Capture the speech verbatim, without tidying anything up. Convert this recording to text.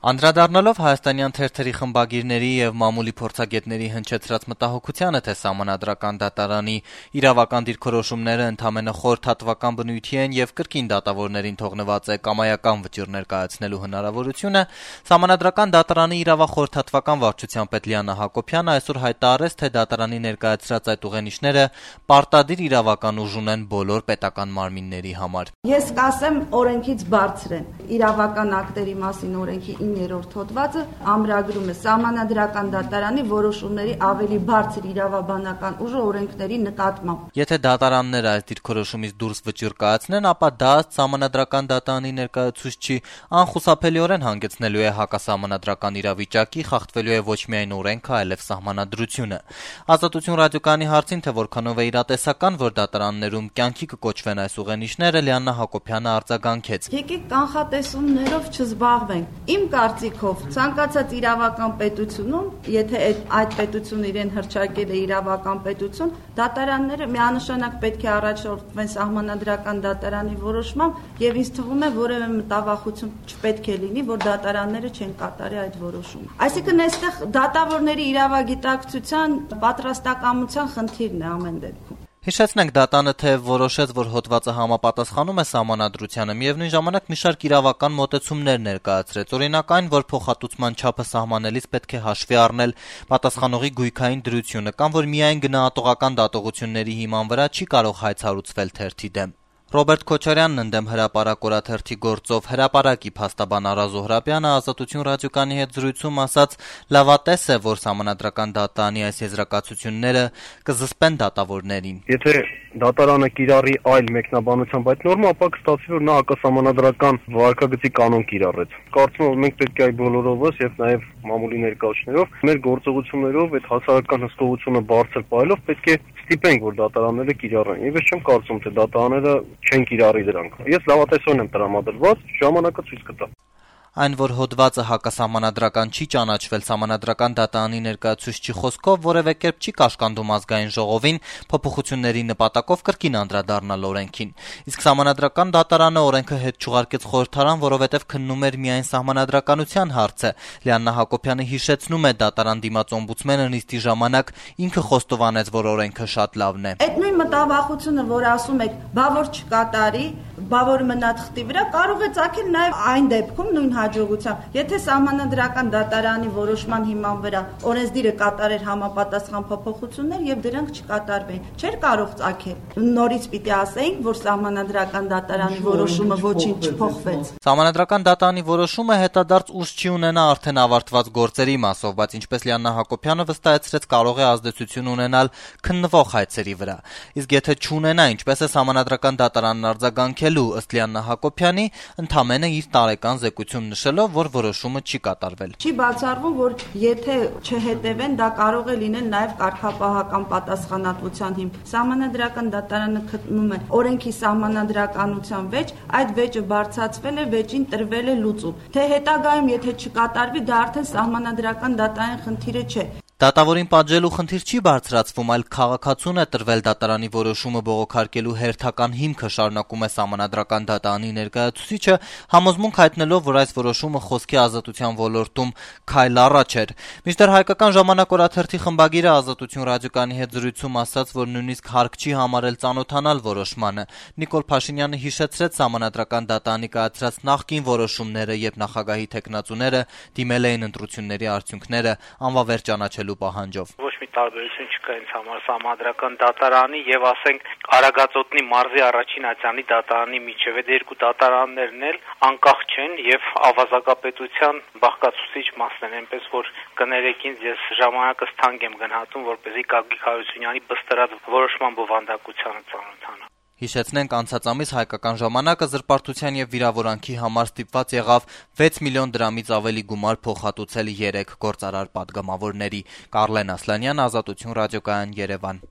Անդրադառնալով հայաստանյան թերթերի խմբագիրների եւ մամուլի փորձագետների հնչեցրած մտահոգությանը, թե Սահմանադրական դատարանի իրավական դիրքորոշումները ընդամենը խորհրդատվական բնույթի են եւ կրկին դատավորներին թողնված է կամայական վճիռներ կայացնելու հնարավորությունը, Սահմանադրական դատարանի իրավախորհրդատվական վարչության պետ Լիաննա Հակոբյանը այսօր հայտարարեց, թե դատարանի ներկայացրած այդ ուղենիշները պարտադիր իրավական ուժ ունեն բոլոր պետական մարմինների համար։ Ես կասեմ, օրենքից բարձր են իրավական ակտերի մասին օրենքի երրորդ հոդվածը ամրագրում է Սահմանադրական դատարանի որոշումների ավելի բարձր իրավաբանական ուժը օրենքների նկատմամբ։ Եթե դատարանները այս դիրքորոշումից դուրս վճիռ կայացնեն, ապա դա Սահմանադրական դատարանի ներկայացուցչի անխուսափելիորեն հանգեցնելու է հակասահմանադրական իրավիճակի, խախտվելու է ոչ միայն օրենքը, այլև սահմանադրությունը։ Ազատություն ռադիոկայանի հարցին, թե որքանով է իրատեսական, որ դատարաններում կյանքի կկոչվեն այս ուղենիշները, Լիաննա Հակոբյանը արձագանքեց. Եկեք կանխատեսումներով չզբաղվենք։ Իմ կարծիքով ցանկացած իրավական պետությունում, եթե այդ պետությունը իրեն հռչակել է իրավական պետություն, դատարանները միանշանակ պետք է առաջորդվեն Սահմանադրական դատարանի որոշմամբ եւ ինձ թվում է որևէ մտավախություն չպետք է լինի, որ դատարանները չեն կատարի այդ որոշումը։ Այսինքն այստեղ դատավորների իրավագիտակցության պատրաստակամության խնդիրն է ամեն դեպքում։ Հիշեցնենք, դատանը թե որոշեց, որ հոդվածը համապատասխանում է սահմանադրությանը, միևնույն ժամանակ մի շարք իրավական մոտեցումներ ներկայացրեց, օրինակ այն, որ փոխհատուցման չափը սահմանելիս պետք է հաշվի առնել պատասխանողի գույքային դրությունը, կամ որ միայն գնահատողական դատողությունների հիման վրա չի կարող հայց հարուցվել թերթի դեմ։ Ռոբերտ Քոչարյանն ընդդեմ հրապարակ օրաթերթի գործով հրապարակի փաստաբան Արա Զոհրաբյանը Ազատություն ռադիոկայանի հետ զրույցում ասաց, լավատես է, որ Սահմանադրական դատարանի այս եզրակացությունները կզսպեն դատավորներին։ Եթե դատարանը կիրառի այլ մեկնաբանությամբ այդ նորմը, ապա կստացվի, որ նա հակասահմանադրական վարքագծի կանոն կիրառեց։ Կարծում եմ, մենք պետք է այ բոլորովս եւ նաեւ մամուլի ներկայացուցիչներով մեր գործողություններով այդ հասարակական հսկողությունը բարձր պահելով պետք է ստիպենք, որ դատարանները կիրառեն։ Եվ ես չեմ կարծում, թե դատարանները չեն կիրառի դրանք։ Ես լավատեսորեն եմ տրամադրված, ժամանակը ցույց կտա։ Այն, որ հոդվածը հակասահմանադրական չի ճանաչվել Սահմանադրական դատարանի ներկայացուցչի խոսքով, որևէ կերպ չի կաշկանդում ազգային ժողովին փոփոխությունների նպատակով կրկին անդրադառնալ օրենքին։ Իսկ Սահմանադրական դատարանը օրենքը հետ չուղարկեց խորհրդարան, որովհետև քննում էր միայն սահմանադրականության հարցը։ Լիաննա Հակոբյանը հիշեցնում է, դատարան դիմաց օմբուդսմենը նիստի ժամանակ ինքը խոստովանեց, որ օրենքը շատ լավն է։ Այդ նույն մտավախությունը, որ ասում եք, բա որ չկատարի, բա որ մնա թղթի վրա, կարող է ծագել նաև այն դեպքում նույն հաջողությամբ, եթե Սահմանադրական դատարանի որոշման հիման վրա օրենսդիրը կատարեր համապատասխան փոփոխություններ եւ դրանք չկատարվեին, չէր կարող ծագել։ Նորից պիտի ասեինք, որ Սահմանադրական դատարանի որոշումը ոչինչ չփոխվեց։ Սահմանադրական դատարանի որոշումը հետադարձ ուժ չի ունենա արդեն ավարտված գործերի մասով, բայց ինչպես Լիաննա Հակոբյանը վստահեցրեց, կարող է ազդեցություն ունենալ քննվող հայցերի վրա։ Իսկ եթե չունենա, ինչպես է Սահմանադրական դատարանն արձագանքելու, ըստ Լիաննա Հակոբյանի, ընդամենը իր տարեկան զեկույցում նշելով, որ որոշումը չի կատարվել։ Չի բացառվում, որ եթե չհետևեն, դա կարող է լինել նաև կարգապահական պատասխանատվության հիմք։ Սահմանադրական դատարանը գտնում է օրենքի սահմանադրականության վեճ, այդ վեճը բարձրացվել է, վեճին տրվել է լուծում։ Թե հետագայում եթե չկատարվի, դա արդեն Սահմանադրական դատարանի խնդիրը չէ։ Դատավորին պատժելու խնդիր չի բարձրացվում, այլ քաղաքացուն է տրվել դատարանի որոշումը բողոքարկելու հերթական հիմքը, շարունակում է Սահմանադրական դատարանի ներկայացուցիչը, համոզմունք հայտնելով, որ այս որոշումը խոսքի ազատության ոլորտում քայլ առաջ էր։ Մինչդեռ Հայկական ժամանակ օրաթերթի խմբագիրը Ազատություն ռադիոկայանի հետ զրույցում ասաց, որ նույնիսկ հարկ չի համարել ծանոթանալ որոշմանը։ Նիկոլ Փաշինյանը հիշեցրեց Սահմանադրական դատարանի կայացրած նախկին որոշումները, երբ նախագահի թեկնածուները դիմել էին ընտրությունների արդյունքները անվավեր ճանաչելու պահանջով։ Ոչ մի տարբերություն չկա ինձ համար Սահմանադրական դատարանի եւ ասենք Արագածոտնի մարզի առաջին ատյանի դատարանի միջև։ Այդ երկու դատարաններն էլ անկախ չեն եւ ավազակապետության բաղկացուցիչ մասն են, այնպես որ կներեք ինձ, ես ժամանակս թանկ եմ գնահատում, որպեսզի Գագիկ Հարությունյանի բստրած որոշման բովանդակությանը ծանոթանամ։ Հիշեցնենք, անցած ամիս Հայկական ժամանակը զրպարտության եւ վիրավորանքի համար ստիպված եղավ վեց միլիոն դրամից ավելի գումար փոխհատուցել երեք գործարար պատգամավորների։ Կարլեն Ասլանյան, Ազատություն ռադիոկայան, Երևան։